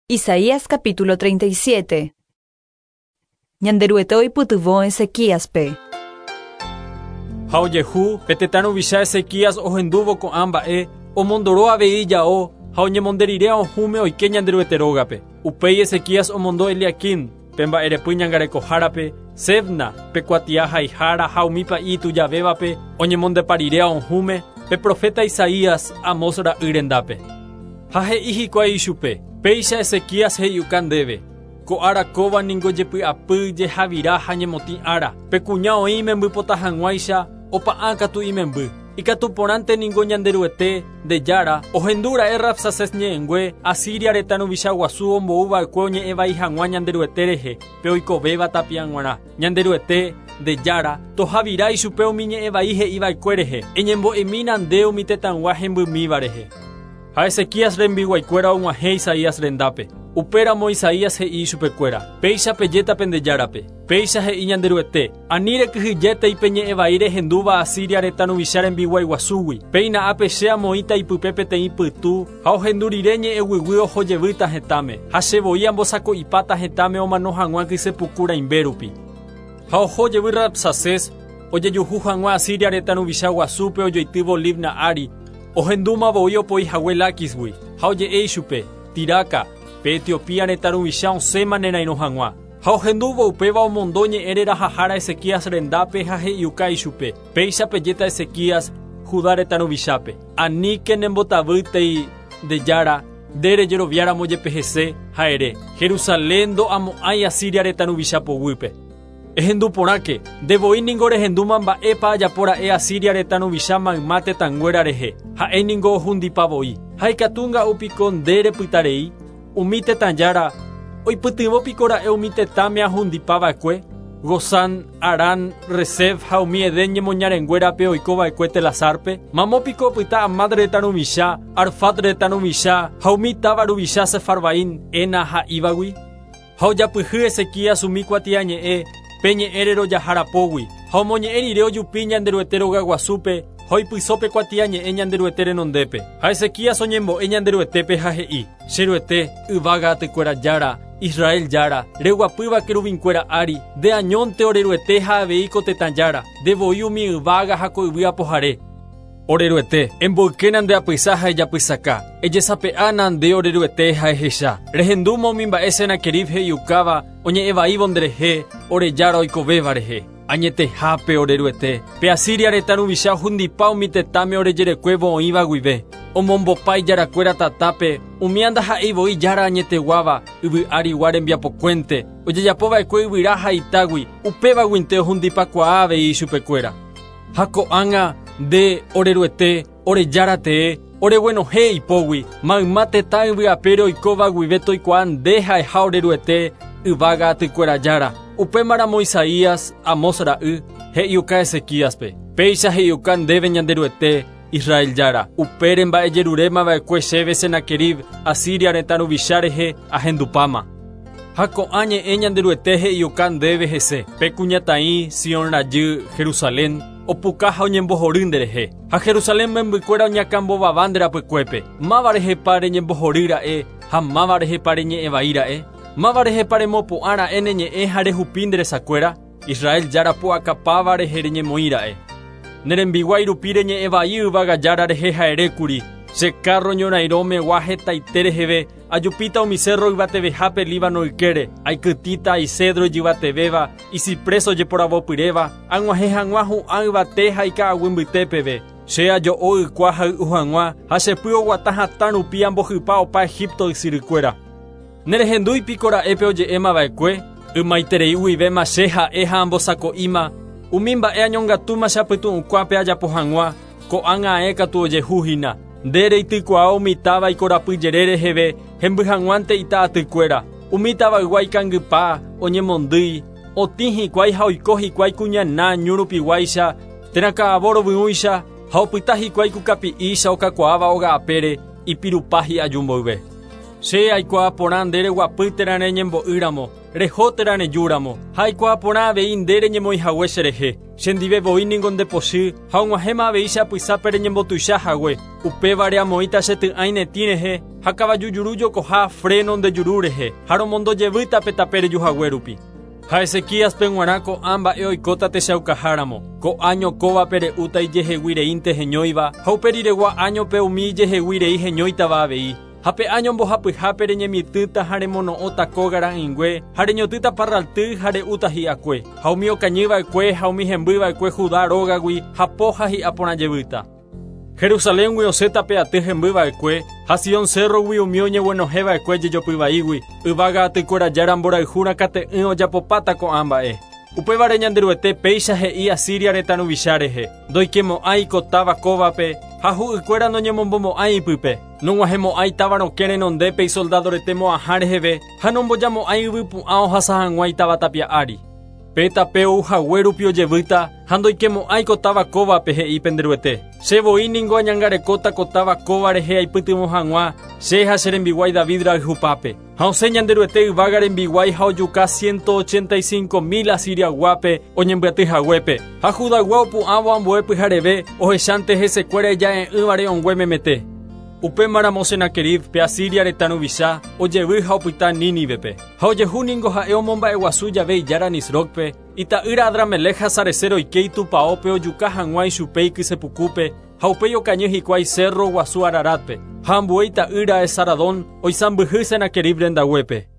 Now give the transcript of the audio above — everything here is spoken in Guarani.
Isaías capítulo 37. Ñanderuete oipytyvõ Ezequíaspe. Ha ojehu, pe tetã ruvicha Ezequías ohendúvo ko'ã mba'e, omondoro avei ijao ha oñemonde rire aohũme oike Ñanderuete rógape. Upéi Ezequías omondo Eliaquim, pe mba'erepy ñangarekohárape, Sebna, pe kuatia haihára ha umi pa'i itujavévape, oñemondepa rire aohũme, pe proféta Isaías, Amós ra'y rendápe. Ha he'i hikuái ichupe, Péicha Ezequías he'iuka ndéve, Ko ára kóva ningo jepy'apy, jehavira ha ñemotĩ ára. Pe kuña oĩ imembypota hag̃uáicha, opa'ã katu imemby. Ikatu porãnte ningo Ñanderuete, nde Jára, ohendu ra'e Rabsacés ñe'ẽngue, Asiria retã ruvicha guasu ombou va'ekue oñe'ẽ vai hag̃ua Ñanderuete rehe, pe oikovéva tapia g̃uarã. Ñanderuete, nde Jára, tohavira ichupe umi ñe'ẽ vai he'i va'ekue rehe, eñembo'emína nde umi tetãygua hembymíva rehe. Ha Ezequías rembiguaikuéra og̃uahẽ Isaías rendápe. Upéramo Isaías he'i ichupekuéra, Péicha pejéta pende Járape, Péicha he'i Ñanderuete, Ani rekyhyjétei pe ñe'ẽ vai rehendúva Asiria retã ruvicha rembiguái guasúgui, péina ápe che amoĩta ipype peteĩ pytu, ha ohendu rire ñe'ẽ guyguy oho jevýta hetãme, ha che voi ambosako'ipáta hetãme omano hag̃ua kyse puku rãimbe rupi. Ha oho jevy Rabsacés, ojejuhu hag̃ua Asiria retã ruvicha guasúpe ojoitývo Libna ári, ohendúma voi opoi hague Láquisgui, ha oje'e ichupe, Tiraca, pe Etiopía retã ruvicha osẽma nerairõ hag̃ua. Ha ohendúvo upéva omondo ñe'ẽ rerahahára Ezequías rendápe ha he'iuka ichupe, Péicha pejéta Ezequías, Judá retã ruvichápe, Aníke nembotavýtei nde Jára, nde rejeroviáramo jepe hese, ha ere, Jerusalén ndo'amo'ãi Asiria retã ruvicha poguýpe. Ehendu porãke, nde voi ningo rehendúma mba'épa ajapo ra'e Asiria retã ruvicha mayma tetãnguéra rehe, ha'e ningo ohundipa voi. Ha ikatu nga'u piko nde repyta rei? Umi tetã jára, oipytyvõ piko ra'e umi tetãme ahundipa va'ekue? Gozán, Harán, Resef ha umi Edén ñemoñarenguérape oiko va'ekue Telasárpe? Mamo piko opyta Hamad retã ruvicha, Arfad retã ruvicha ha umi táva ruvicha Sefarvaim, Hena ha Ívagui? Ha ojapyhy Ezequías umi kuatiañe'ẽ pe ñe'ẽ rerojaha rapógui, ha omoñe'ẽ rire ojupi Ñanderuete rogaguasúpe ha oipyso pe kuatiañe'ẽ Ñanderuete renondépe. Ha Ezequías oñembo'e Ñanderuetépe ha he'i, Che Ruete, yvága atykuéra Jára, Israel Jára, reguapýva keruvinkuéra ári, nde añónte ore Ruete ha avei ko tetã Jára, nde voi umi yvága ha ko yvy apohare. Ore Ruete, emboykéna nde apysa ha ejapysaka, ejesape'ána nde ore Ruete ha ehecha. Rehendúma umi mba'e Senaquerib he'iukáva oñe'ẽ vaívo nderehe, ore Jára oikovéva rehe. Añetehápe, ore Ruete, pe Asiria retã ruvicha ohundipa umi tetãme ore jerekuévo oĩva guive. Omombopa ijarakuéra tatápe, umía ndaha'éi voi Jára añeteguáva, yvy arigua rembiapokuénte, ojejapova'ekue yvyra ha itágui, upévaguinte ohundipakuaa avei ichupekuéra. Ha ko'ág̃a, nde, ore Ruete, ore Jára tee, oreguenohẽ ipógui, mayma tetã yvy apére oikóva guive toikuaa nde ha'eha ore Ruete, yvága atykuéra Jára. Upémaramo Isaías, Amós ra'y, he'iuka Ezequíaspe, Péicha he'iuka ndéve Ñanderuete, Israel Jára, upére mba'ejeruréma va'ekue chéve Senaquerib, Asiria retã ruvicha rehe, ahendupáma. Ha ko'ã ñe'ẽ Ñanderuete he'iuka ndéve hese, Pe kuñataĩ, Sion rajy, Jerusalén, opuka ha oñembohory nderehe. Ha Jerusalén membykuéra oñakãmbovava nde rapykuépe. Máva rehepa reñembohory ra'e ha máva rehepa reñe'ẽ vai ra'e? Máva rehepa remopu'ã ra'e ne ñe'ẽ ha rehupi nde resakuéra? Israel Jára pu'akapáva rehe reñemoĩ ra'e. Ne rembiguái rupi reñe'ẽ vai yvága Jára rehe ha erékuri, Che kárro ñorairõ megua hetaite reheve, ajupíta umi sérro yvatevehápe Líbano ykére, aikytĩta isédro ijyvatevéva, isiprés ojeporavopyréva, ag̃uahẽ hag̃ua hu'ã yvate ha ika'aguy mbyte peve. Che ajo'o ykua hay'u hag̃ua, ha che py oguata hatã rupi ambohypa opa Egipto ysyrykuéra. Nerehendúi piko ra'e pe oje'éma va'ekue? Ymaiterei guivéma che ha'e ha ambosako'íma umi mba'e añongatúma che apytu'ũkuápe ajapo hag̃ua, ko'ág̃a ae katu ojehu hína. Nde reitykuaa umi táva ikorapy jere reheve hemby hag̃uánte ita atykuéra. Umi tavaygua ikangypa, oñemondýi, otĩ hikuái ha oiko hikuái kuñana ñu rupiguáicha térã ka'avo rovyũicha ha opyta hikuái ku kapi'ícha okakuaáva óga apére ipirupa hi'aju mboyve. Che aikuaa porã nde reguapy térã reñembo'y ramo, reho térã reju ramo, ha aikuaa porã avei nde reñemoĩ hague cherehe. Chendive voi ningo ndepochy ha og̃uahẽma avei che apysápe reñembotuicha hague. Upévare amoĩta che ty'ãi ne tĩ rehe ha kavaju juru jokoha fréno nde juru rehe ha romondo jevýta pe tape reju hague rupi. Ha Ezequíaspe g̃uarã ko'ã mba'e oikóta techaukaháramo, ko áño kóvape re'úta ijehegui reínte heñóiva ha upe riregua áñope umi ijehegui rei heñóitava avei. Ha pe áño mbohapyhápe reñemitỹta ha remono'õta kóga ra'ỹingue, ha reñotỹta parralty ha re'úta hi'akue. Ha umi okañy va'ekue ha umi hemby va'ekue Judá rógagui hapo ha hi'a porã jevýta. Jerusaléngui osẽta pe aty hemby va'ekue, ha Sion cérrogui umi oñeguenohẽ va'ekue jejopy vaígui, yvága atykuéra Jára mborayhu rakate'ỹ ojapopáta ko'ã mba'e. Upévare Ñanderuete péicha he'i Asiria retã ruvicha rehe, Ndoikemo'ãi ko táva kóvape, ha hu'ykuéra noñemombomo'ãi ipype. Nog̃uahẽmo'ãi táva rokẽ renondépe isoldádo rete mo'ãha reheve ha nombojamo'ãi yvypu'ã ohasa hag̃ua itáva tapia ári. Pe tape ou hague rupi ojevýta ha ndoikemo'ãi ko táva kóvape, he'i pende Ruete. Che voi ningo añangarekóta ko táva kóva rehe aipytyvõ hag̃ua, che ha che rembiguái David rayhupápe. Ha osẽ Ñanderuete yvága rembiguái ha ojuka 185 mil Asiriayguápe oñembyaty haguépe. Ha Judaygua opu'ãvo ambue pyhareve ohechánte hesekuéra ija'e'ỹva re'õngue memete. Upémaramo Senaquerib pe Asiria retã ruvicha ojevy ha opyta Nínivepe. Ha ojehu ningo ha'e omomba'eguasu jave ijára Nisrocpe, ita'ýra Adramelec ha Sarecer oike itupãópe ojuka hag̃ua ichupe ikysepukúpe ha upéi okañy hikuái cerro guasu Araratpe. Ha ambue ita'ýra Esaradón oisãmbyhy Senaquerib rendaguépe.